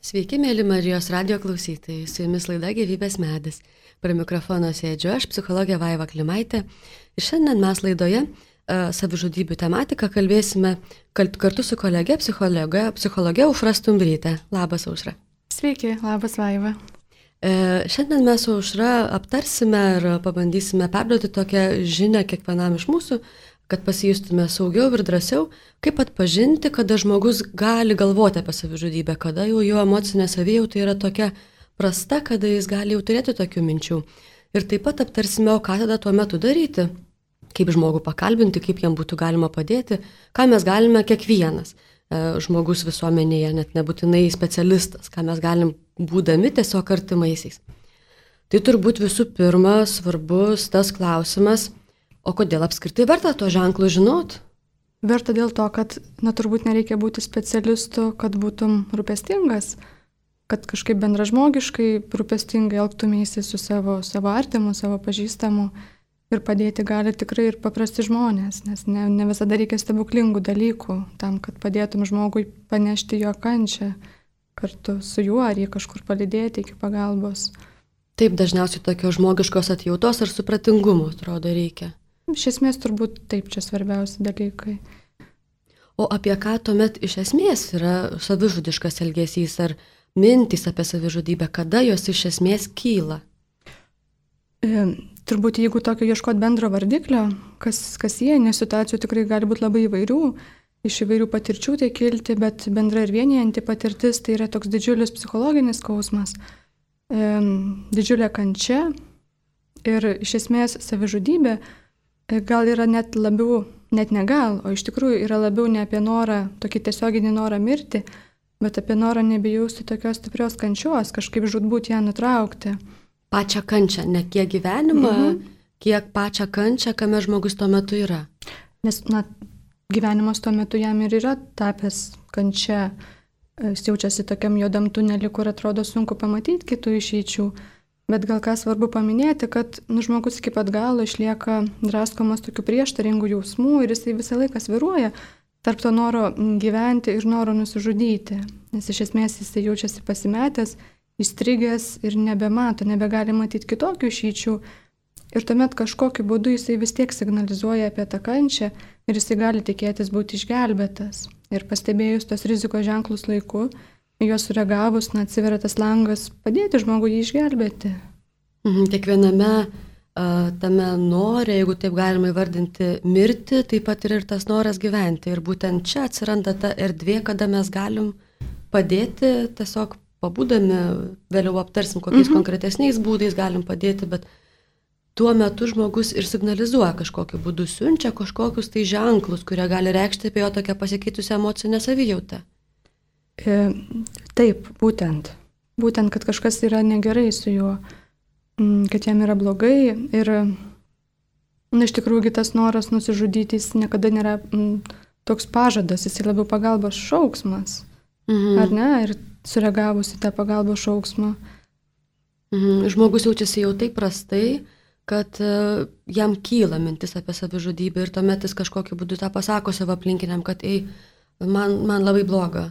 Sveiki, mėly Marijos radio klausytojai, su jumis laida Gyvybės medis. Prie mikrofono sėdžiu aš, psichologė Vaiva Klimaitė. Ir šiandien mes laidoje savižudybių tematiką kalbėsime kartu su kolege, psichologė Aušra Stumbrytė. Labas, Aušra. Sveiki, labas, Vaiva. Šiandien mes su Aušra aptarsime ir pabandysime perduoti tokią žinią kiekvienam iš mūsų, kad pasijustume saugiau ir drąsiau, kaip atpažinti, kada žmogus gali galvoti apie savižudybę, kada jau jo emocinė savijauta yra tokia prasta, kada jis gali jau turėti tokių minčių. Ir taip pat aptarsime, o ką tada tuo metu daryti, kaip žmogų pakalbinti, kaip jam būtų galima padėti, ką mes galime kiekvienas žmogus visuomenėje, net nebūtinai specialistas, ką mes galim būdami tiesiog artimaisiais. Tai turbūt visų pirma svarbus tas klausimas, o kodėl apskritai verta to ženklų žinot? Verta dėl to, kad turbūt nereikia būti specialistu, kad būtum rūpestingas, kad kažkaip bendražmogiškai rūpestingai elgtumėsi su savo artimu, savo pažįstamu ir padėti gali tikrai ir paprasti žmonės, nes ne visada reikia stebuklingų dalykų tam, kad padėtum žmogui panešti jo kančią kartu su juo ar jį kažkur palydėti iki pagalbos. Taip, dažniausiai tokios žmogiškos atjautos ar supratingumo, atrodo, reikia. Iš esmės turbūt taip, čia svarbiausi dalykai. O apie ką tuomet iš esmės yra savižudiškas elgesys ar mintys apie savižudybę, kada jos iš esmės kyla? Turbūt jeigu tokio ieškot bendro vardiklio, kas jie, nes situacijų tikrai gali būti labai įvairių, iš įvairių patirčių tai kilti, bet bendra ir vienijanti patirtis tai yra toks didžiulis psichologinis skausmas, didžiulė kančia ir iš esmės savižudybė gal yra net ne gal, o iš tikrųjų yra labiau ne apie norą, tokį tiesioginį norą mirti, bet apie norą nebejausti tokios stiprios kančios, kažkaip žūtbūt ją nutraukti. Pačią kančią, ne kiek gyvenimą, kiek pačią kančią, kame žmogus tuo metu yra. Nes, gyvenimas tuo metu jam ir yra tapęs kančia, jis jaučiasi tokiam juodam tuneliu, kur atrodo sunku pamatyti kitų išeičių. Bet gal ką svarbu paminėti, kad žmogus iki pat galo išlieka draskomas tokių prieštaringų jausmų ir jisai visą laiką svyruoja tarp to noro gyventi ir noro nusižudyti. Nes iš esmės jisai jaučiasi pasimetęs, įstrigęs ir nebegali matyti kitokių išeičių. Ir tuomet kažkokiu būdu jisai vis tiek signalizuoja apie tą kančią ir jisai gali tikėtis būti išgelbėtas. Ir pastebėjus tos rizikos ženklus laiku, juos sureagavus, atsiveria tas langas padėti žmogui jį išgelbėti. Kiekviename tame nore, jeigu taip galima įvardinti, mirti, taip pat ir tas noras gyventi. Ir būtent čia atsiranda ta erdvė, kada mes galim padėti, tiesiog pabūdami, vėliau aptarsim, kokiais konkretesniais būdais galim padėti, bet tuo metu žmogus ir signalizuoja kažkokiu būdu, siunčia kažkokius tai ženklus, kurie gali reikšti apie jo tokią pasikeitusią emocinę savijautą. Taip, būtent, kad kažkas yra negerai su juo, kad jam yra blogai ir iš tikrųjų tas noras nusižudyti jis niekada nėra toks pažadas, jis labiau pagalbos šauksmas, ar ne, ir sureagavus į tą pagalbos šauksmą. Žmogus jaučiasi jau taip prastai, kad jam kyla mintis apie savižudybę ir tuomet jis kažkokiu būdu tą pasako savo aplinkiniam, kad man labai bloga.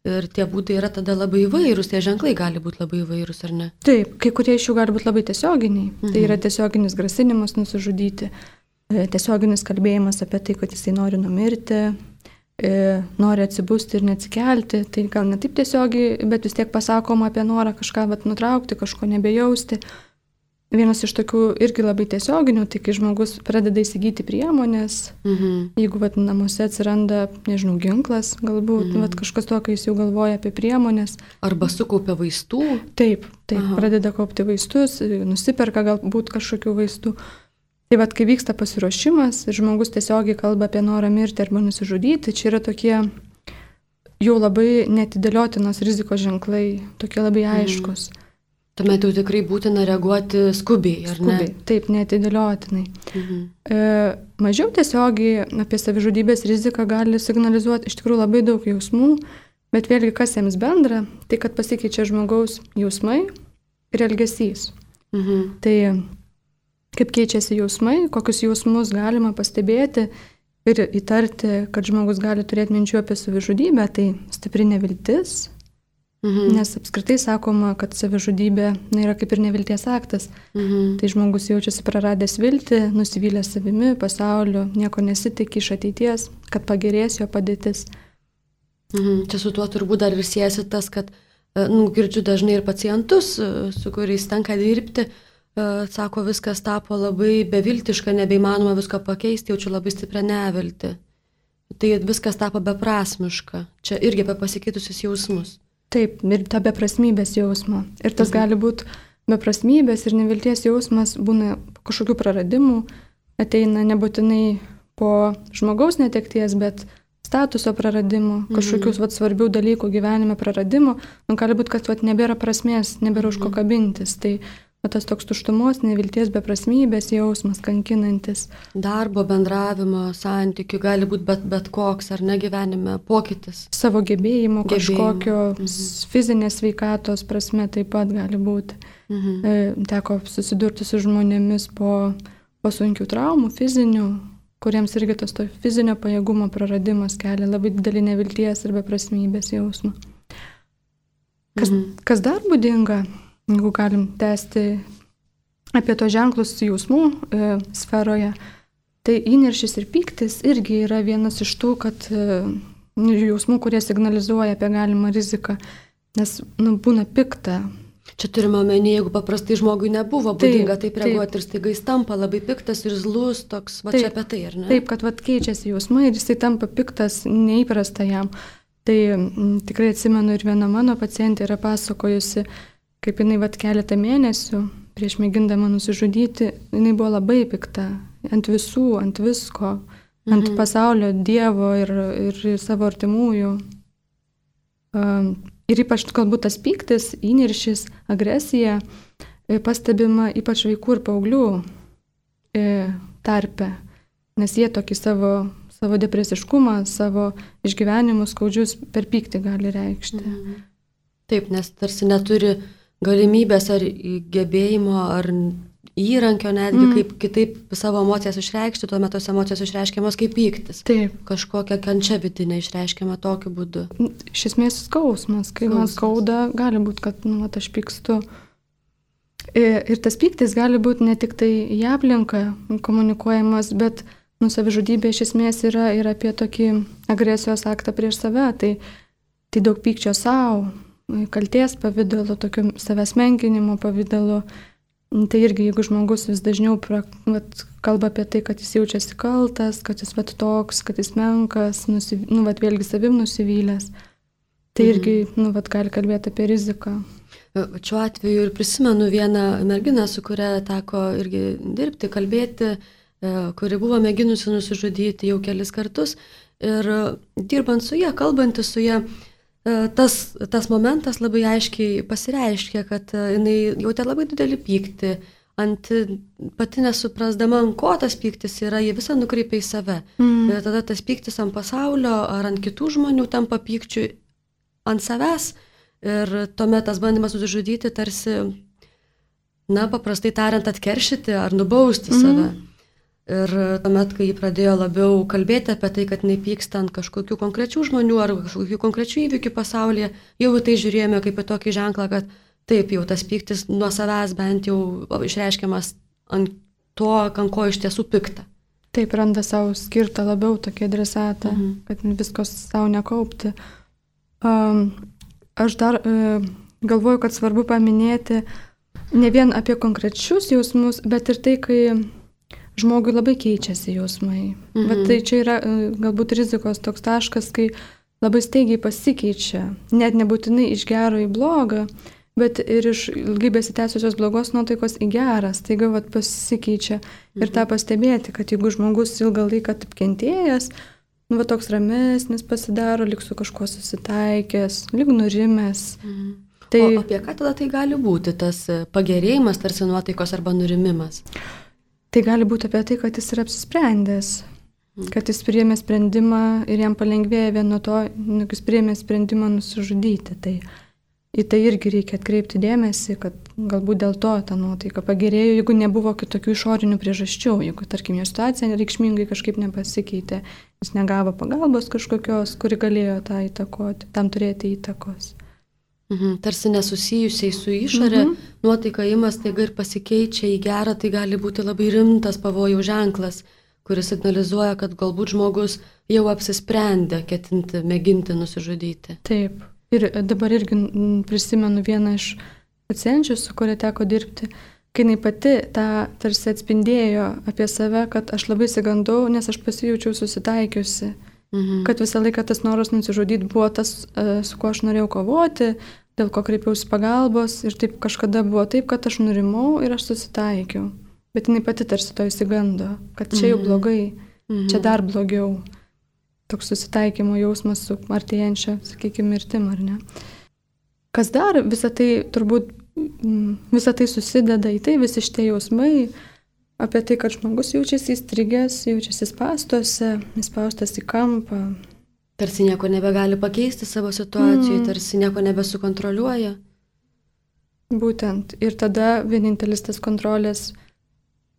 Ir tie būdai yra tada labai įvairūs, tie ženklai gali būti labai įvairūs, ar ne? Taip, kai kurie iš jų gali būti labai tiesioginiai. Tai yra tiesioginis grasinimas nusižudyti, tiesioginis kalbėjimas apie tai, kad jisai nori numirti, nori atsibusti ir neatsikelti. Tai gal ne taip tiesiogiai, bet vis tiek pasakoma apie norą kažką nutraukti, kažko nebejausti. Vienas iš tokių irgi labai tiesioginių, tai kai žmogus pradeda įsigyti priemonės, jeigu namuose atsiranda, ginklas galbūt, kažkas to, kai jis jau galvoja apie priemonės. Arba sukaupia vaistų. Taip, pradeda kaupti vaistus, nusiperka galbūt kažkokių vaistų. Tai kai vyksta pasiruošimas ir žmogus tiesiogiai kalba apie norą mirti arba nusižudyti, čia yra tokie jau labai netidėliotinos rizikos ženklai, tokie labai aiškus. Tuomet jau tikrai būtina reaguoti skubiai, ar ne? Taip, neatidėliotinai. Mažiau tiesiogiai apie savižudybės riziką gali signalizuoti iš tikrųjų labai daug jausmų, bet vėlgi kas jiems bendra, tai kad pasikeičia žmogaus jausmai ir elgesys. Tai kaip keičiasi jausmai, kokius jausmus galima pastebėti ir įtarti, kad žmogus gali turėti minčių apie savižudybę, tai stipri neviltis, Nes apskritai sakoma, kad savižudybė yra kaip ir nevilties aktas. Tai žmogus jaučiasi praradęs viltį, nusivylęs savimi, pasauliu, nieko nesitikė iš ateities, kad pagerės jo padėtis. Čia su tuo turbūt dar ir siejasi tas, kad girdžiu dažnai ir pacientus, su kuriais tenka dirbti, sako, viskas tapo labai beviltiška, nebeįmanoma visko pakeisti, jaučiu labai stiprią neviltį. Tai viskas tapo beprasmiška. Čia irgi apie pasikeitusius jausmus. Taip, ir ta beprasmybės jausmo. Ir tas gali būti beprasmybės ir nevilties jausmas, būna kažkokių praradimų, ateina nebūtinai po žmogaus netekties, bet statuso praradimų, kažkokius svarbių dalykų gyvenime praradimų. Gali būti, kad nebėra prasmės, nebėra už ko kabintis. Tai tas toks tuštumos, nevilties, beprasmybės jausmas, kankinantis. Darbo, bendravimo, santykių gali būti bet koks, ar ne gyvenime, pokytis. Savo gebėjimo, kažkokio fizinės sveikatos prasme taip pat gali būti. Teko susidurti su žmonėmis po sunkių traumų, fizinių, kuriems irgi tas to fizinio pajėgumo praradimas kelia labai didelį nevilties ir beprasmybės jausmą. Kas dar būdinga? Jeigu galim tęsti apie to ženklus jausmų sferoje, tai įniršis ir pyktis irgi yra vienas iš tų, kad jausmų, kurie signalizuoja apie galimą riziką, nes būna pikta. Čia turime omeny, jeigu paprastai žmogui nebuvo būdinga taip reaguoti ir staiga jis tampa labai piktas ir zlus, toks, čia apie tai, ar ne? Taip, kad keičiasi jausmai ir jisai tampa piktas, neįprasta jam. Tai tikrai atsimenu ir viena mano pacientė yra pasakojusi, kaip jinai keletą mėnesių prieš mėgindama nusižudyti, jinai buvo labai pikta ant visų, ant visko, ant pasaulio, Dievo ir savo artimųjų. Ir ypač galbūt tas pyktis, įniršis, agresija pastebima ypač vaikų ir paauglių tarpe, nes jie tokį savo depresiškumą, savo išgyvenimus skaudžius per pyktį gali reikšti. Taip, nes tarsi neturi galimybės ar gebėjimo, ar įrankio netgi, kaip kitaip savo emocijas išreikšti, tuomet tos emocijos išreiškiamos kaip pyktis. Taip. Kažkokia kančia vidinė išreiškiama tokiu būdu. Iš esmės skausmas, kai man skauda, gali būti, kad aš pykstu. Ir tas pyktis gali būti ne tik tai į aplinką komunikuojamas, bet savižudybė iš esmės yra ir apie tokį agresijos aktą prieš save. Tai daug pykčio savo, kalties pavidalu, tokio savęs menkinimo pavidalu. Tai irgi, jeigu žmogus vis dažniau kalba apie tai, kad jis jaučiasi kaltas, kad jis toks, kad jis menkas, vėlgi savim nusivylęs, tai irgi gali kalbėti apie riziką. Šiuo atveju ir prisimenu vieną merginą, su kuria teko irgi dirbti, kalbėti, kuri buvo mėginusi nusižudyti jau kelis kartus. Ir dirbant su ją, kalbantis su ją, tas momentas labai aiškiai pasireiškė, kad jinai jautė labai didelį pyktį, pati nesuprasdama, ant ko tas pyktis yra, jie visą nukreipia į save. Ir tada tas pyktis ant pasaulio ar ant kitų žmonių tampa pykčiu ant savęs. Ir tuomet tas bandymas nusižudyti tarsi, paprastai tariant, atkeršyti ar nubausti save. Ir tuomet, kai jį pradėjo labiau kalbėti apie tai, kad nepyksta ant kažkokių konkrečių žmonių ar kažkokių konkrečių įvykių pasaulyje, jau tai žiūrėjome kaip į tokį ženklą, kad taip jau tas pyktis nuo savęs bent jau išreiškiamas ant to, ant ko iš tiesų pikta. Taip, randa savo skirtą labiau tokį adresatą, kad viskos savo nekaupti. Aš dar galvoju, kad svarbu paminėti ne vien apie konkrečius jausmus, bet ir tai, kai žmogui labai keičiasi jausmai. Bet tai čia yra galbūt rizikos toks taškas, kai labai staigiai pasikeičia, net nebūtinai iš gero į blogą, bet ir iš ilgai besitęsusios blogos nuotaikos į gerą, staiga pasikeičia. Ir tą pastebėti, kad jeigu žmogus ilgą laiką taip kentėjęs, toks ramesnis pasidaro, lyg su kažkuo susitaikęs, lyg nurimęs. Tai... O apie ką tada tai gali būti, tas pagerėjimas tarsi nuotaikos arba nurimimas? Tai gali būti apie tai, kad jis yra apsisprendęs, kad jis priėmė sprendimą ir jam palengvėja vien nuo to, jis priėmė sprendimą nusižudyti. Tai į tai irgi reikia atkreipti dėmesį, kad galbūt dėl to ta nuotaika pagerėjo, jeigu nebuvo kitokių išorinių priežasčių, jeigu, tarkim, jo situacija reikšmingai kažkaip nepasikeitė, jis negavo pagalbos kažkokios, kuri galėjo tą įtakoti, tam turėti įtakos. Tarsi nesusijusiai su išorė, nuotaika ima staiga ir pasikeičia į gerą, tai gali būti labai rimtas pavojaus ženklas, kuris signalizuoja, kad galbūt žmogus jau apsisprendė ketinti, mėginti nusižudyti. Taip. Ir dabar irgi prisimenu vieną iš pacienčių, su kuria teko dirbti, kai jinai pati tą tarsi atspindėjo apie save, kad aš labai sigandau, nes aš pasijaučiau susitaikiusi. Kad visą laiką tas noras nusižudyti buvo tas, su kuo aš norėjau kovoti, dėl ko kreipiausi pagalbos ir taip kažkada buvo taip, kad aš nurimau ir aš susitaikiau. Bet jinai pati tarsi to įsigando, kad čia jau blogai, čia dar blogiau. Toks susitaikymo jausmas su artėjančia, sakykime, mirtim, ar ne. Kas dar, visą tai susideda į tai, visi šitie jausmai, apie tai, kad žmogus jaučiasi įstrigęs, jaučiasi spąstuose, įspaustas į kampą. Tarsi nieko nebegali pakeisti savo situacijoje, tarsi nieko nebesukontroliuoja. Būtent. Ir tada vienintelis tas kontrolės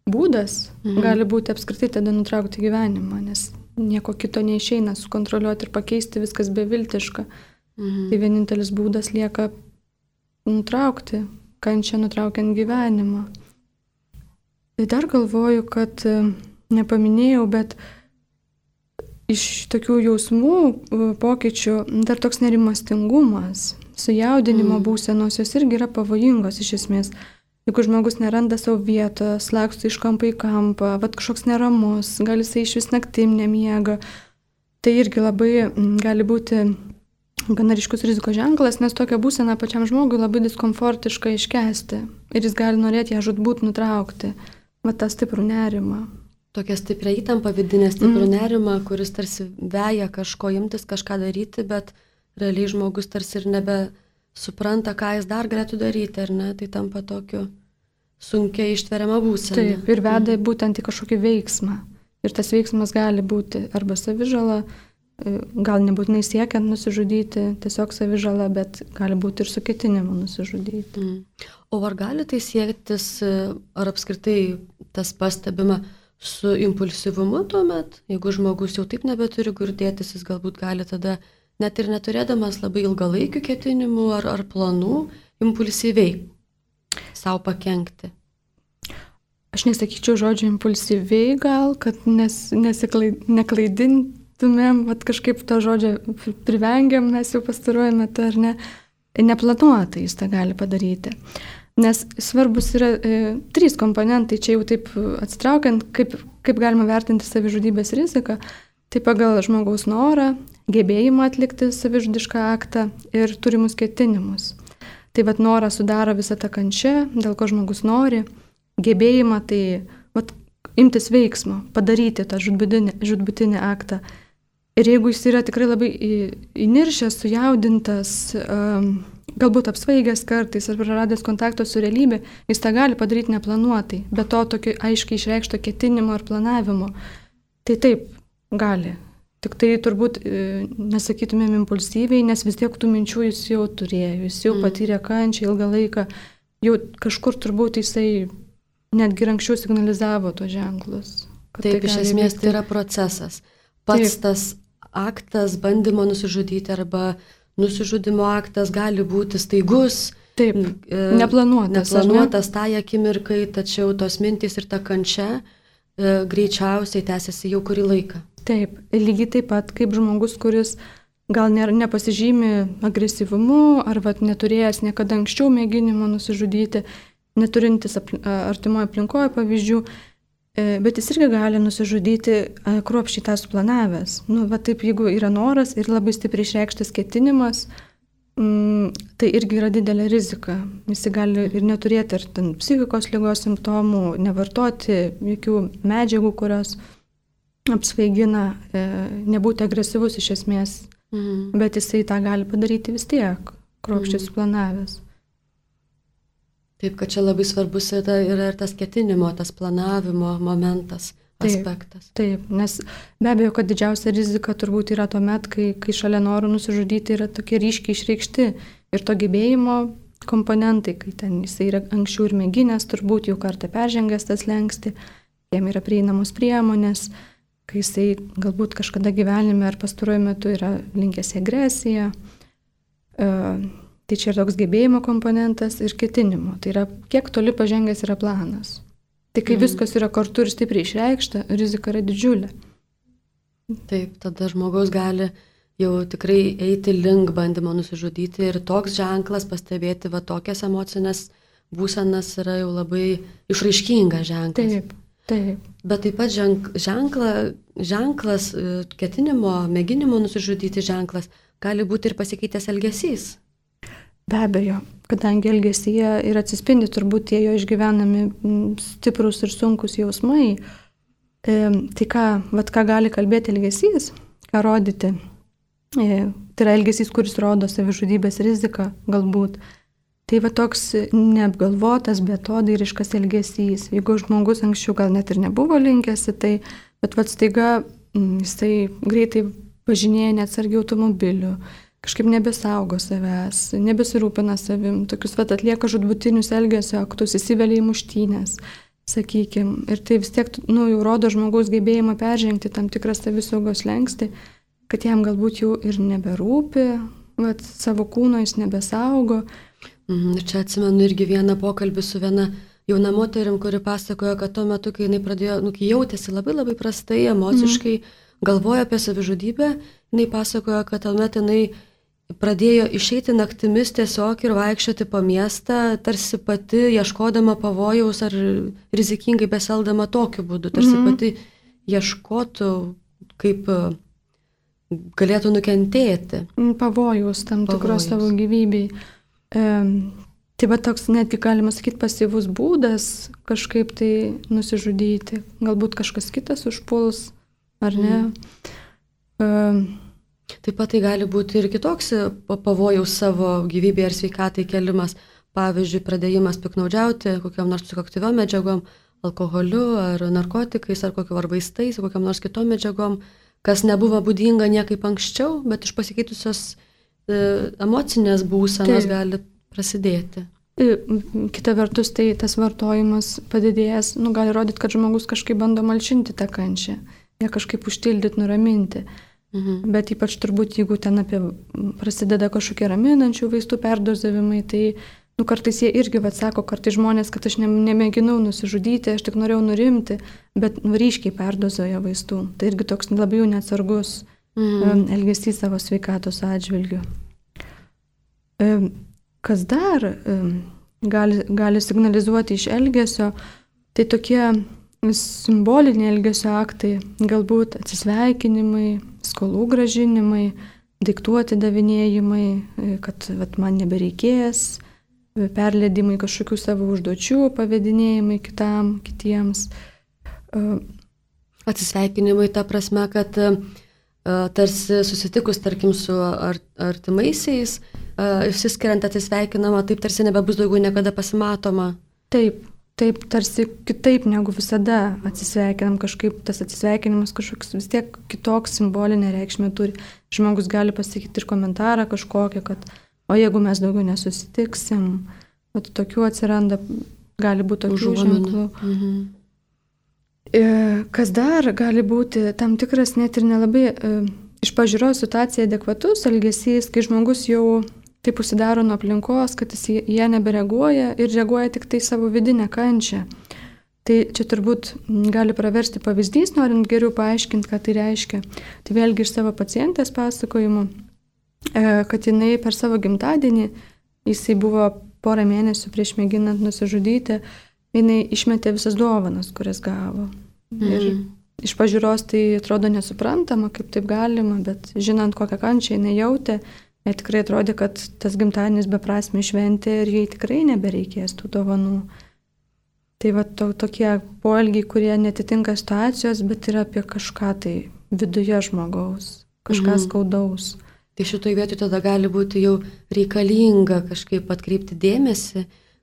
būdas gali būti apskritai tada nutraukti gyvenimą, nes nieko kito neišeina sukontroliuoti ir pakeisti, viskas beviltiška. Tai vienintelis būdas lieka nutraukti, kančią nutraukiant gyvenimą. Tai dar galvoju, kad nepaminėjau, bet iš tokių jausmų pokyčių dar toks nerimastingumas, sujaudinimo būsenos, jos irgi yra pavojingos iš esmės. Jeigu žmogus neranda savo vietos, laksto iš kampo į kampą, kažkoks neramus, gal jisai iš vis naktim nemiega, tai irgi labai gali būti gana ryškus rizikos ženklas, nes tokią būseną pačiam žmogui labai diskomfortiška iškęsti ir jis gali norėti ją žūtbūt nutraukti. tą stiprų nerimą. Tokia stipria įtampa, vidinė stiprų nerimą, kuris tarsi veja kažko imtis, kažką daryti, bet realiai žmogus tarsi ir nebesupranta, ką jis dar galėtų daryti, ar ne? Tai tampa tokiu sunkiai ištveriama būsena. Taip, ir veda būtent į kažkokį veiksmą. Ir tas veiksmas gali būti arba savižala, gal nebūtinai siekiant nusižudyti, tiesiog savižala, bet gali būti ir su ketinimu nusižudyti. O ar gali tai siektis, ar apskritai tas pastebima su impulsyvumu tuomet? Jeigu žmogus jau taip nebeturi kur dėtis, jis galbūt gali tada, net ir neturėdamas labai ilgalaikių ketinimų ar planų, impulsyviai savo pakenkti. Aš nesakyčiau žodžio impulsyviai gal, kad neklaidintumėm, kažkaip to žodžio privengiam, mes jau pastaruoju metu, ar ne, neplanuotai jis tą gali padaryti. Nes svarbus yra 3 komponentai, čia jau taip atsitraukiant, kaip galima vertinti savižudybės riziką, tai pagal žmogaus norą, gebėjimą atlikti savižudišką aktą ir turimus ketinimus. Tai norą sudaro visą tą kančią, dėl ko žmogus nori, gebėjimą tai imtis veiksmo, padaryti tą žūtbūtinį aktą. Ir jeigu jis yra tikrai labai įniršęs, sujaudintas, galbūt apsvaigęs kartais ar praradęs kontaktą su realybė, jis tą gali padaryti neplanuotai, be to tokio aiškiai išreikšto ketinimo ir planavimo. Tai taip, gali. Tik tai turbūt nesakytumėm impulsyviai, nes vis tiek tų minčių jis jau turėjo, jis jau patyrė kančią ilgą laiką, jau kažkur turbūt jisai netgi anksčiau signalizavo tos ženklus. Taip, iš esmės tai yra procesas. Pats tas aktas bandymo nusižudyti arba nusižudimo aktas gali būti staigus. Taip, neplanuotas tai akimirkai, tačiau tos mintys ir ta kančia greičiausiai tęsiasi jau kurį laiką. Taip, lygiai taip pat kaip žmogus, kuris gal nepasižymi agresyvumu ar neturėjęs niekada anksčiau mėginimo nusižudyti, neturintis artimoje aplinkoje pavyzdžių, bet jis irgi gali nusižudyti kruopščiai tą suplanavęs. Taip, jeigu yra noras ir labai stipriai išreikštas ketinimas, tai irgi yra didelė rizika. Jis gali ir neturėti ar psichikos ligos simptomų, nevartoti jokių medžiagų, kurios apsvaigina, nebūti agresyvus iš esmės, bet jisai tą gali padaryti vis tiek, kruopščiai suplanavęs. Taip, kad čia labai svarbus yra ir tas ketinimo, tas planavimo momentas, aspektas. Taip, nes be abejo, kad didžiausia rizika turbūt yra tuomet, kai šalia norų nusižudyti yra tokie ryškiai išreikšti ir to gebėjimo komponentai, kai ten jisai yra anksčiau ir mėginęs, turbūt jau kartą peržengęs tas slenkstį, jam yra prieinamos priemonės, kai jisai galbūt kažkada gyvenime ar pastaruoju metu yra linkęs į agresiją. Tai čia yra toks gebėjimo komponentas ir ketinimo. Tai yra, kiek toli pažengęs yra planas. Tai kai viskas yra kartu ir stipriai išreikšta, rizika yra didžiulė. Taip, tada žmogaus gali jau tikrai eiti link bandymo nusižudyti ir toks ženklas pastebėti va tokias emocinės būsenas yra jau labai išraiškingas ženklas. Taip. Bet taip pat ženklas, ketinimo, mėginimo nusižudyti ženklas gali būti ir pasikeitęs elgesys. Be abejo, kadangi elgesyje ir atsispindi turbūt tie jo išgyvenami stiprus ir sunkus jausmai, tai ką gali kalbėti elgesys, ką rodyti. Tai yra elgesys, kuris rodo savižudybės riziką galbūt. Tai va toks neapgalvotas, betodairiškas elgesys. Jeigu žmogus anksčiau gal net ir nebuvo linkęs į tai, bet staiga jisai greitai važinėja neatsargiai automobiliu, kažkaip nebesaugo savęs, nebesirūpina savim, tokius atlieka žudbutinius elgesio aktus, įsivelia į muštynės, sakykime. Ir tai vis tiek jau rodo žmogaus gebėjimą peržengti tam tikrą savisaugos slenkstį, kad jam galbūt jau ir neberūpi, savo kūno jis nebesaugo. Ir čia atsimenu irgi vieną pokalbį su viena jauna moterim, kuri pasakojo, kad tuo metu, kai jinai pradėjo, kai jautėsi labai labai prastai, emociškai, galvojo apie savižudybę, jinai pasakojo, kad tuomet jinai pradėjo išeiti naktimis tiesiog ir vaikščioti po miestą, tarsi pati ieškodama pavojaus ar rizikingai beseldama tokiu būdu, tarsi pati ieškotų, kaip galėtų nukentėti. Pavojaus tam tikros savo gyvybei. Tai va toks netgi galima sakyti pasyvus būdas kažkaip tai nusižudyti. Galbūt kažkas kitas užpuls, ar ne? Taip pat tai gali būti ir kitoks pavojaus savo gyvybėje ar sveikatai kelimas. Pavyzdžiui, pradėjimas piknaudžiauti kokiam nors psichoaktyviom medžiagom, alkoholiu ar narkotikais ar vaistais, kokiam nors kitom medžiagom, kas nebuvo būdinga niekaip anksčiau, bet iš pasikeitusios emocinės būsenos gali prasidėti. Kita vertus, tai tas vartojimas padidėjęs, gali rodyti, kad žmogus kažkaip bando malšinti tą kančią, ją kažkaip užtildyti, nuraminti. Bet ypač turbūt, jeigu ten prasideda kažkokie raminančių vaistų perdozavimai, tai kartais jie irgi sako, kartais žmonės, kad aš nemėginau nusižudyti, aš tik norėjau nurimti, bet ryškiai perdozuoja vaistų. Tai irgi toks labai jau neatsargus elgesys savo sveikatos atžvilgiu. Kas dar gali signalizuoti iš elgesio, tai tokie simboliniai elgesio aktai, galbūt atsisveikinimai, skolų gražinimai, daiktų atidavinėjimai, kad man nebereikės, perleidimai kažkokių savo užduočių, pavedinėjimai kitiems. Atsisveikinimai ta prasme, kad tarsi susitikus, tarkim, su artimaisiais, išsiskiriant atsisveikinama, taip tarsi nebebus daugiau niekada pasimatoma. Taip, tarsi kitaip negu visada atsisveikinam, kažkaip tas atsisveikinimas kažkoks vis tiek kitoks simbolinė reikšmė turi. Žmogus gali pasakyti ir komentarą kažkokią, kad o jeigu mes daugiau nesusitiksim, tokių atsiranda, gali būti tokių ženklų. Kas dar gali būti tam tikras net ir nelabai iš pažiūros situacijai adekvatus elgesys, kai žmogus jau taip užsidaro nuo aplinkos, kad jis ją nebereaguoja ir reaguoja tik tai savo vidinę kančią. Tai čia turbūt gali praversti pavyzdys, norint geriau paaiškinti, ką tai reiškia. Tai vėlgi iš savo pacientės pasakojimų, kad jinai per savo gimtadienį, jisai buvo porą mėnesių prieš mėginant nusižudyti, jinai išmetė visas dovanas, kurias gavo. Ir iš pažiūros tai atrodo nesuprantama, kaip taip galima, bet žinant, kokią kančią jinai jautė, jai tikrai atrodė, kad tas gimtadienis beprasmė šventė ir jai tikrai nebereikės tų dovanų. Tai tokie poelgiai, kurie netitinka situacijos, bet yra apie kažką tai viduje žmogaus, kažką skaudaus. Tai šitoj vietoj tada gali būti jau reikalinga kažkaip atkreipti dėmesį,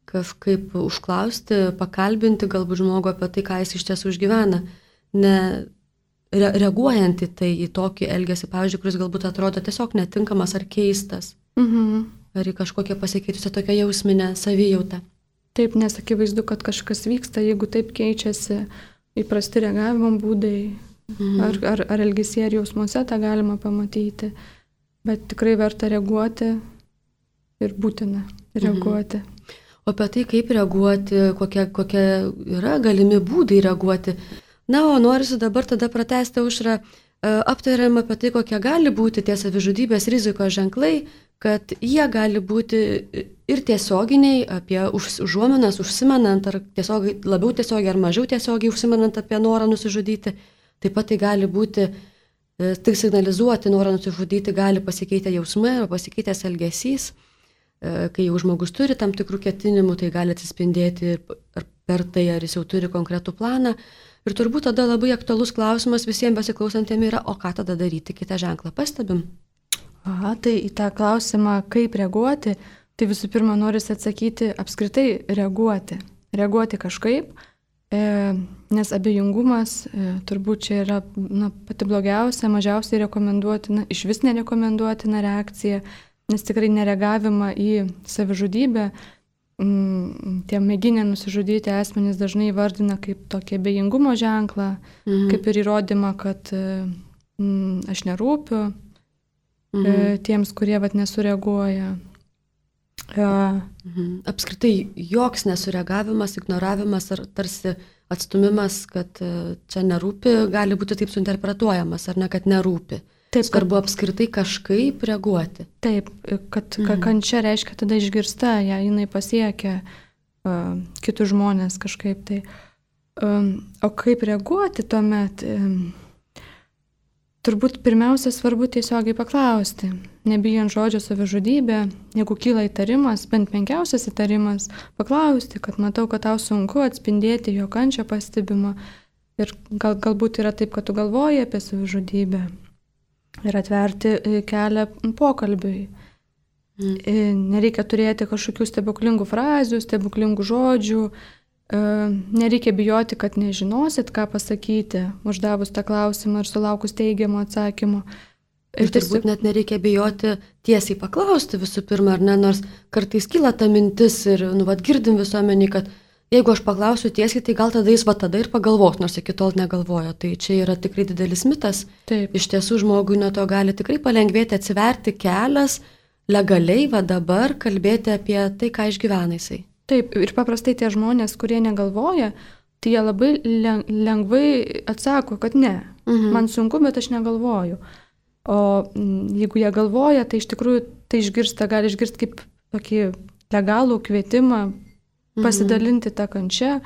kažkaip užklausti, pakalbinti galbūt žmogų apie tai, ką jis iš tiesų išgyvena, ne reaguojant į tai, į tokį elgesį, pavyzdžiui, kuris galbūt atrodo tiesiog netinkamas ar keistas, ar į kažkokią pasikeitusią tokią jausminę savijautą. Taip, nes akivaizdu, kad kažkas vyksta, jeigu taip keičiasi įprasti reagavimo būdai, ar elgesyje, ar jausmuose tą galima pamatyti, bet tikrai verta reaguoti ir būtina reaguoti. O apie tai, kaip reaguoti, kokie yra galimi būdai reaguoti. Na, o norisi dabar tada pratęsti, Aušra, aptariam apie tai, kokie gali būti tie savižudybės rizikos ženklai, kad jie gali būti ir tiesioginiai, apie užuominas, užsimenant, ar labiau tiesiogiai ar mažiau tiesiogiai užsimenant apie norą nusižudyti. Taip pat tai gali būti, tik signalizuoti norą nusižudyti, gali pasikeitę jausmai arba pasikeitęs elgesys. Kai jau žmogus turi tam tikrų ketinimų, tai gali atsispindėti per tai, ar jis jau turi konkretų planą. Ir turbūt tada labai aktualus klausimas visiems besiklausantiem yra, o ką tada daryti, kitą ženklą pastebim? Tai į tą klausimą, kaip reaguoti, tai visų pirma norisi atsakyti apskritai reaguoti. Reaguoti kažkaip, nes abejingumas turbūt čia yra pati blogiausia, mažiausiai rekomenduotina, iš vis nerekomenduotina reakcija, nes tikrai nereagavimą į savižudybę tie mėginę nusižudyti asmenys dažnai įvardina kaip tokį abejingumo ženklą, kaip ir įrodymą, kad aš nerūpiu tiems, kurie nesureaguoja. Apskritai joks nesureagavimas, ignoravimas ar tarsi atstumimas, kad čia nerūpi, gali būti taip suinterpretuojamas, ar ne, kad nerūpi. Taip, svarbu apskritai kažkaip reaguoti. Taip, kad kančia reiškia tada išgirsta, jinai pasiekia kitus žmonės kažkaip tai. O kaip reaguoti tuomet? Turbūt pirmiausia svarbu tiesiogiai paklausti, nebijant žodžio savižudybė, jeigu kyla įtarimas, bent menkiausias įtarimas, paklausti, kad matau, kad tau sunku atspindėti jo kančią pastebimą ir galbūt yra taip, kad tu galvoji apie savižudybę. Ir atverti kelią pokalbiui. Nereikia turėti kažkokių stebuklingų frazių, stebuklingų žodžių, nereikia bijoti, kad nežinosit, ką pasakyti, uždavus tą klausimą ir sulaukus teigiamo atsakymo. Ir turbūt net nereikia bijoti tiesiai paklausti visų pirma, ar ne, nors kartais kyla ta mintis ir girdim visuomenį, kad jeigu aš paklausiu tiesiai, tai gal tada jis tada ir pagalvos, nors iki tol negalvojo. Tai čia yra tikrai didelis mitas. Taip. Iš tiesų žmogui nuo to gali tikrai palengvėti, atsiverti kelias, legaliai dabar kalbėti apie tai, ką išgyvena jisai. Taip, ir paprastai tie žmonės, kurie negalvoja, tai jie labai lengvai atsako, kad ne, man sunku, bet aš negalvoju. O jeigu jie galvoja, tai iš tikrųjų tai gali išgirsti kaip tokį legalų kvietimą pasidalinti tą kančią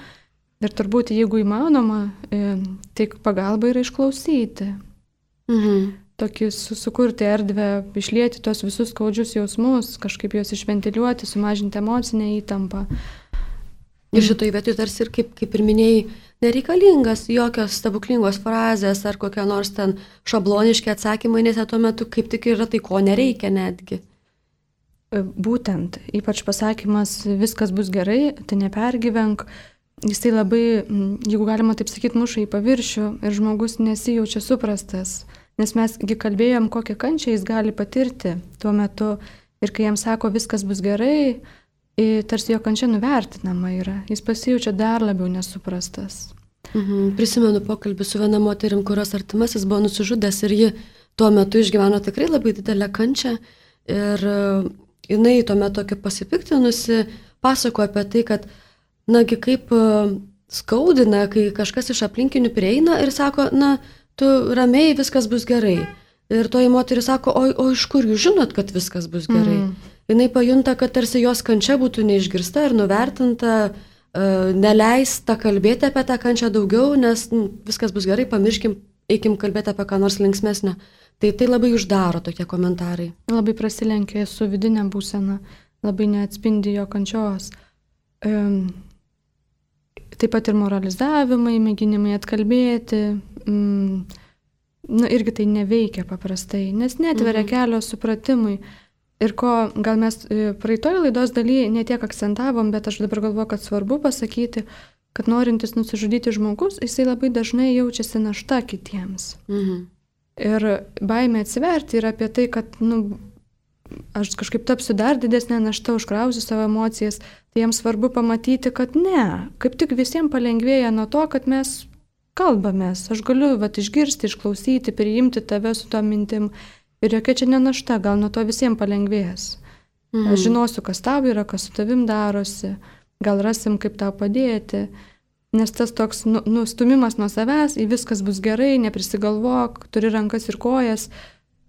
ir turbūt, jeigu įmanoma, tai pagalba yra išklausyti. Tokį sukurti erdvę, išlieti tos visus skaudžius jausmus, kažkaip juos išventiliuoti, sumažinti emocinę įtampą. Ir šitoj vietoj tarsi ir kaip ir minėjai, nereikalingas jokios stebuklingos frazės ar kokie nors ten šabloniški atsakymai, nes tuo metu kaip tik yra tai, ko nereikia netgi. Būtent, ypač pasakymas viskas bus gerai, tai nepergyvenk, jisai labai, jeigu galima taip sakyti, muša į paviršių ir žmogus nesijaučia suprastas, nes mesgi kalbėjom, kokią kančią jis gali patirti tuo metu ir kai jam sako viskas bus gerai, tarsi jo kančia nuvertinama yra, jis pasijaučia dar labiau nesuprastas. Prisimenu pokalbį su viena moterim, kurios artimasis buvo nusižudęs ir ji tuo metu išgyveno tikrai labai didelę kančią ir jinai tuo metu tokia pasipiktinusi pasakojo apie tai, kad nagi kaip skaudina, kai kažkas iš aplinkinių prieina ir sako, tu ramiai, viskas bus gerai. Ir toji moteris sako, o iš kur jūs žinot, kad viskas bus gerai? Jinai pajunta, kad tarsi jos kančia būtų neišgirsta ir nuvertinta, neleista kalbėti apie tą kančią daugiau, nes viskas bus gerai, pamirškim, eikim kalbėti apie ką nors linksmesnę. Tai labai uždaro tokie komentarai. Labai prasilenkia su vidinė būsena, labai neatspindi jo kančios. Taip pat ir moralizavimai, mėginimai atkalbėti, irgi tai neveikia paprastai, nes netveria kelio supratimui. Ir ko gal mes praeitoje laidos dalyje netiek akcentavom, bet aš dabar galvoju, kad svarbu pasakyti, kad norintis nusižudyti žmogus, jisai labai dažnai jaučiasi našta kitiems. Ir baimė atsiverti yra apie tai, kad aš kažkaip tapsiu dar didesnė našta, užkrausiu savo emocijas, tai jiems svarbu pamatyti, kad ne, kaip tik visiems palengvėja nuo to, kad mes kalbamės, aš galiu išgirsti, išklausyti, priimti tave su to mintim ir jokia čia ne našta, gal nuo to visiems palengvės. Aš žinosiu, kas tau yra, kas su tavim darosi, gal rasim, kaip tau padėti. Nes tas toks nustumimas nuo savęs, į viskas bus gerai, neprisigalvok, turi rankas ir kojas.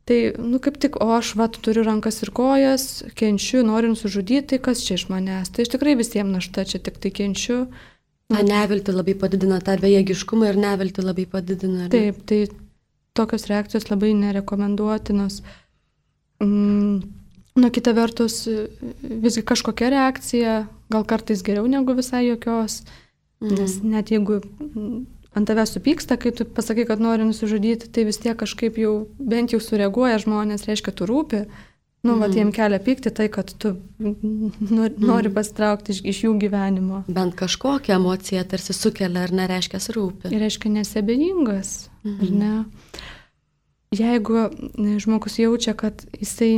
Tai, kaip tik, o aš turiu rankas ir kojas, kenčiu, noriu nusižudyti, tai kas čia iš manęs? Tai aš tikrai visiems našta, čia tik tai kenčiu. Ta nevilti labai padidina, tą bejėgiškumą ir nevilti labai padidina. Ne? Taip, tai tokios reakcijos labai nerekomenduotinos. Kita vertus, visgi kažkokia reakcija, gal kartais geriau negu visai jokios, nes net jeigu ant tavęs supyksta, kai tu pasakai, kad nori nusižudyti, tai vis tiek kažkaip jau bent jau sureaguoja žmonės, reiškia, tu rūpi. Jiem kelia pykti tai, kad tu nori pasitraukti iš jų gyvenimo. Bent kažkokią emociją tarsi sukelia, ar nereiškia rūpi. Ir reiškia nesabejingas, ar ne? Jeigu žmogus jaučia, kad jisai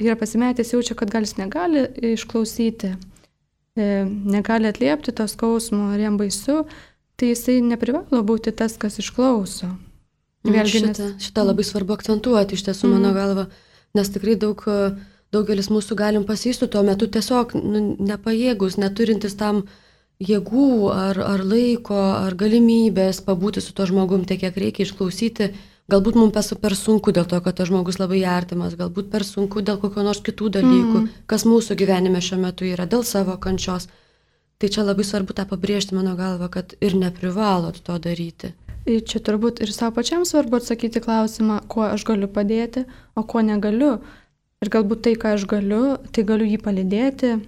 yra pasimetęs, jaučia, kad gal jis negali išklausyti, negali atliepti to skausmo, ar jam baisu, tai jisai neprivalo būti tas, kas išklauso. Šitą labai svarbu akcentuoti, iš tiesų, mano galva, nes tikrai daugelis mūsų galim pasijusti tuo metu tiesiog nepajėgus, neturintis tam jėgų ar laiko, ar galimybės pabūti su to žmogum tiek, kiek reikia išklausyti. Galbūt mums per sunku dėl to, kad tas žmogus labai artimas, galbūt per sunku dėl kokio nors kitų dalykų, kas mūsų gyvenime šiuo metu yra, dėl savo kančios. Tai čia labai svarbu tą pabrėžti, mano galva, kad ir neprivalot to daryti. Čia turbūt ir savo pačiam svarbu atsakyti klausimą, kuo aš galiu padėti, o kuo negaliu. Ir galbūt tai, ką aš galiu, tai galiu jį palydėti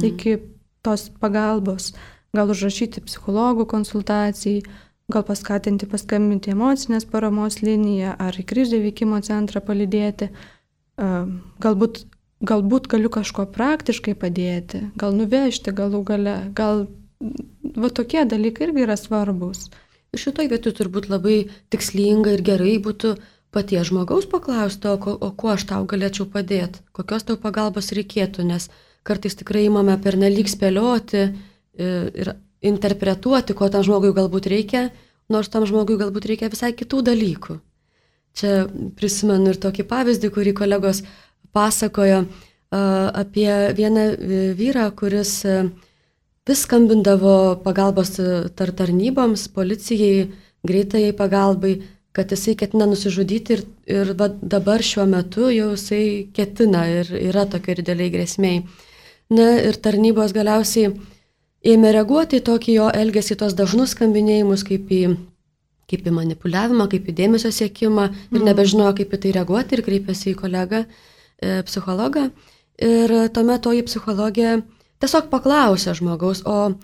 iki tos pagalbos. Gal užrašyti psichologų konsultacijai, gal paskatinti paskambinti emocinės paramos liniją ar į krizių veikimo centrą palydėti. Galbūt galiu kažko praktiškai padėti, gal nuvežti galų gale, gal tokie dalykai irgi yra svarbus. Šitoj vietoj turbūt labai tikslinga ir gerai būtų paties žmogaus paklausti, o kuo aš tau galėčiau padėti, kokios tau pagalbos reikėtų, nes kartais tikrai imame pernelyg spėlioti ir interpretuoti, ko tam žmogui galbūt reikia, nors tam žmogui galbūt reikia visai kitų dalykų. Čia prisimenu ir tokį pavyzdį, kurį kolegos pasakojo apie vieną vyrą, kuris vis skambindavo pagalbos tarnyboms, policijai, greitajai pagalbai, kad jisai ketina nusižudyti ir dabar šiuo metu jau jisai ketina ir yra tokia ir dideliai grėsmiai. Na ir tarnybos galiausiai ėmė reaguoti į tokį jo elgesį, tos dažnus skambinėjimus, kaip į manipuliavimą, kaip į dėmesio siekimą ir nebežinojo, kaip į tai reaguoti ir kreipėsi į kolegą psichologą. Ir tuomet toji psichologė tiesiog paklausė žmogaus, o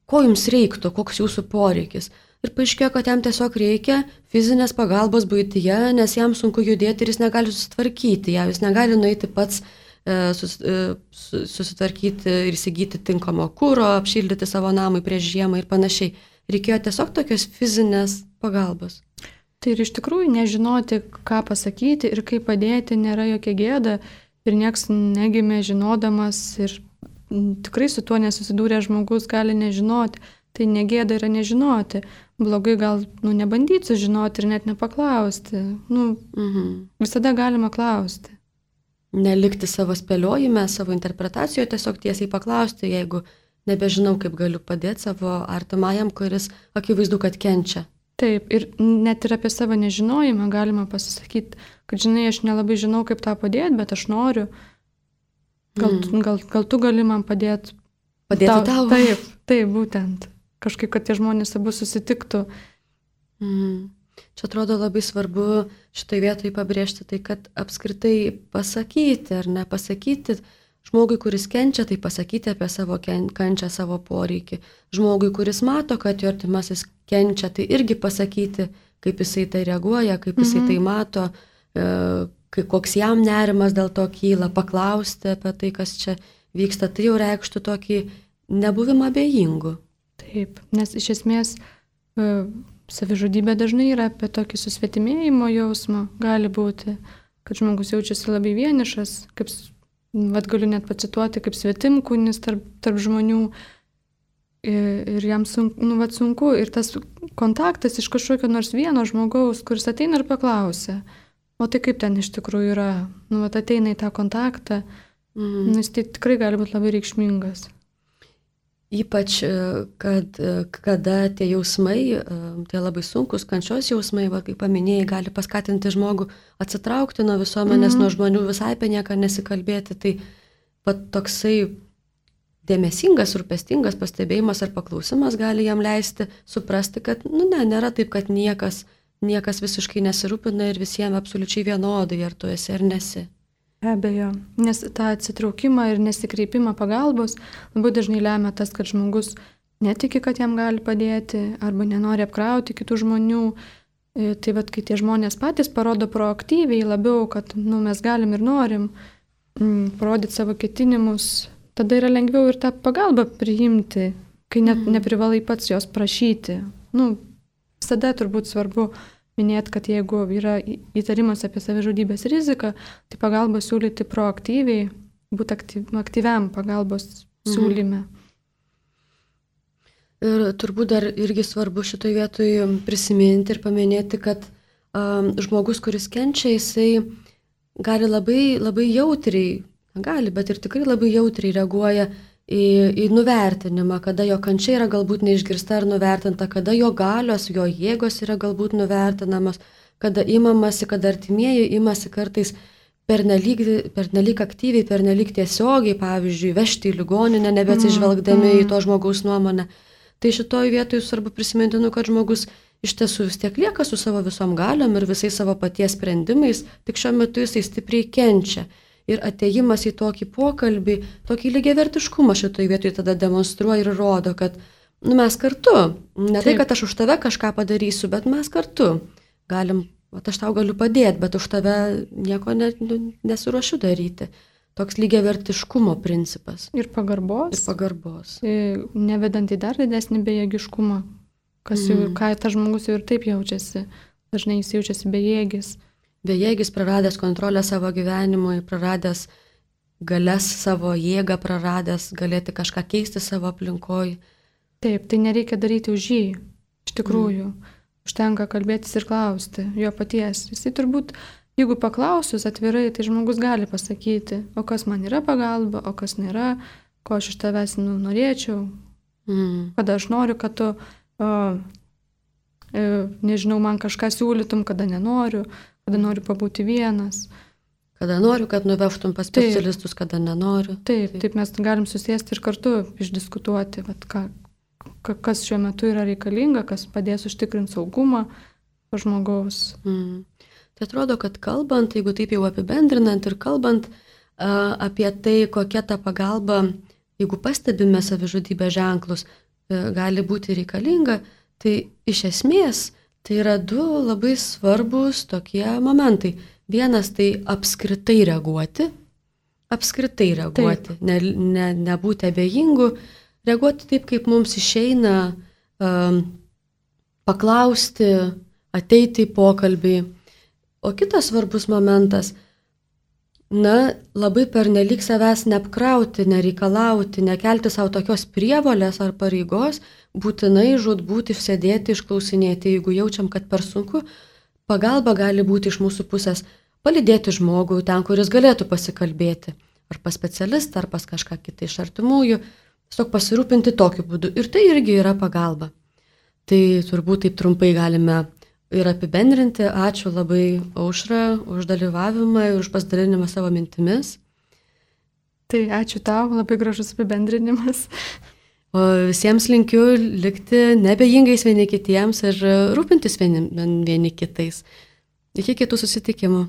ko jums reiktų, koks jūsų poreikis. Ir paaiškėjo, kad jam tiesiog reikia fizinės pagalbos buityje, nes jam sunku judėti ir jis negali susitvarkyti, jis negali nueiti pats susitvarkyti ir įsigyti tinkamo kuro, apšildyti savo namui prieš žiemą ir panašiai. Reikėjo tiesiog tokios fizinės pagalbos. Tai ir iš tikrųjų nežinoti, ką pasakyti ir kaip padėti nėra jokia gėda ir nieks negimė žinodamas ir tikrai su tuo nesusidūrė žmogus gali nežinoti. Tai negėda yra nežinoti. Blogai gal nebandyti sužinoti ir net nepaklausti. Visada galima klausti. Nelikti savo spėliojime, savo interpretacijoje, tiesiog tiesiai paklausti, jeigu nebežinau, kaip galiu padėti savo artimajam, kuris akivaizdu, kad kenčia. Taip, ir net ir apie savo nežinojimą galima pasisakyti, kad žinai, aš nelabai žinau, kaip tą padėti, bet aš noriu. Gal tu gali man padėti. Padėti tau? Taip, būtent. Kažkaip, kad tie žmonės abu susitiktų. Čia atrodo labai svarbu šitai vietoj pabrėžti tai, kad apskritai pasakyti ar nepasakyti žmogui, kuris kenčia, tai pasakyti apie savo kančią, savo poreikį. Žmogui, kuris mato, kad jo artimasis kenčia, tai irgi pasakyti, kaip jisai tai reaguoja, kaip jisai tai mato, koks jam nerimas dėl to kyla, paklausti apie tai, kas čia vyksta, tai jau reikštų tokį nebuvimą abejingų. Taip, nes iš esmės savižudybė dažnai yra apie tokį susvetimėjimo jausmą, gali būti, kad žmogus jaučiasi labai vienišas, kaip, galiu net pacituoti, kaip svetimkūnis tarp žmonių ir jam sunku ir tas kontaktas iš kažkokio nors vieno žmogaus, kuris ateina ir paklausia, o tai kaip ten iš tikrųjų yra, nu, vat ateina į tą kontaktą, nes tai tikrai gali būti labai reikšmingas. Ypač, kada tie jausmai, tie labai sunkus kančios jausmai, va, kaip paminėjai, gali paskatinti žmogų atsitraukti nuo visuomenės, nuo žmonių, visai apie nieką nesikalbėti. Tai va, toksai dėmesingas, rūpestingas pastebėjimas ar paklausimas gali jam leisti suprasti, kad nėra taip, kad niekas visiškai nesirūpina ir visiems absoliučiai vienodai, ar tu esi ar nesi. Be abejo, nes tą atsitraukimą ir nesikreipimą pagalbos labai dažnai lemia tas, kad žmogus netiki, kad jam gali padėti arba nenori apkrauti kitų žmonių. Tai vat, kai tie žmonės patys parodo proaktyviai labiau, kad mes galim ir norim parodyti savo ketinimus, tada yra lengviau ir tą pagalbą priimti, kai net neprivalai pats jos prašyti. Visada turbūt svarbu minėti, kad jeigu yra įtarimas apie savižudybės riziką, tai pagalbą siūlyti proaktyviai, būti aktyviam pagalbos siūlyme. Ir turbūt dar irgi svarbu šitoje vietoje prisiminti ir paminėti, kad žmogus, kuris kenčia, jisai gali labai, labai jautriai, bet ir tikrai labai jautriai reaguoja į nuvertinimą, kada jo kančia yra galbūt neišgirsta ar nuvertinta, kada jo galios, jo jėgos yra galbūt nuvertinamas, kada imamasi, kada artimieji imasi kartais pernelyg aktyviai, pernelyg tiesiogiai, pavyzdžiui, vežti į ligoninę, nebeatsižvelgdami į to žmogaus nuomonę. Tai šitoj vietoj svarbu prisiminti, kad žmogus iš tiesų vis tiek lieka su savo visom galiom ir visais savo paties sprendimais, tik šiuo metu jisai stipriai kenčia. Ir atėjimas į tokį pokalbį, tokį lygiavertiškumą šitoj vietoj tada demonstruoja ir rodo, kad mes kartu, ne tai, kad aš už tave kažką padarysiu, bet mes kartu galim, aš tau galiu padėti, bet už tave nieko nesiruošiu daryti. Toks lygiavertiškumo principas. Ir pagarbos. Nevedant į dar didesnį bejėgiškumą, ką tas žmogus jau ir taip jaučiasi. Dažnai jis jaučiasi bejėgis. Bejėgis, praradęs kontrolę savo gyvenimui, praradęs galias savo jėgą, praradęs galėti kažką keisti savo aplinkoje. Taip, tai nereikia daryti už jį. Iš tikrųjų, užtenka kalbėtis ir klausti jo paties. Jisai turbūt, jeigu paklausius atvirai, tai žmogus gali pasakyti, o kas man yra pagalba, o kas nėra, ko aš iš tavęs norėčiau, kada aš noriu, kad tu, nežinau, man kažką siūlytum, kada nenoriu. Kada noriu pabūti vienas. Kada noriu, kad nuvežtum pas specialistus, kada nenoriu. Taip, mes galim susėsti ir kartu išdiskutuoti, kas šiuo metu yra reikalinga, kas padės užtikrinti saugumą žmogaus. Tai atrodo, kad kalbant, jeigu taip jau apibendrinant ir kalbant apie tai, kokia ta pagalba, jeigu pastebime savižudybės ženklus, gali būti reikalinga, tai iš esmės tai yra du labai svarbus tokie momentai. Vienas tai apskritai reaguoti, nebūti abejingu, reaguoti taip, kaip mums išeina, paklausti, ateiti į pokalbį. O kitas svarbus momentas, labai pernelyg savęs neapkrauti, nereikalauti, nekelti savo tokios prievolės ar pareigos, būtinai žūtbūt išsėdėti, išklausinėti, jeigu jaučiam, kad per sunku, pagalba gali būti iš mūsų pusės palydėti žmogų ten, kuris galėtų pasikalbėti, ar pas specialistą, ar pas kažką kitą iš artimųjų, tiesiog pasirūpinti tokiu būdu. Ir tai irgi yra pagalba. Tai turbūt taip trumpai galime ir apibendrinti. Ačiū labai, Aušra, už dalyvavimą ir už pasidalinimą savo mintimis. Tai ačiū tau, labai gražus apibendrinimas. O visiems linkiu likti nebejingais vieni kitiems ir rūpintis vieni kitais. Iki kitų susitikimų.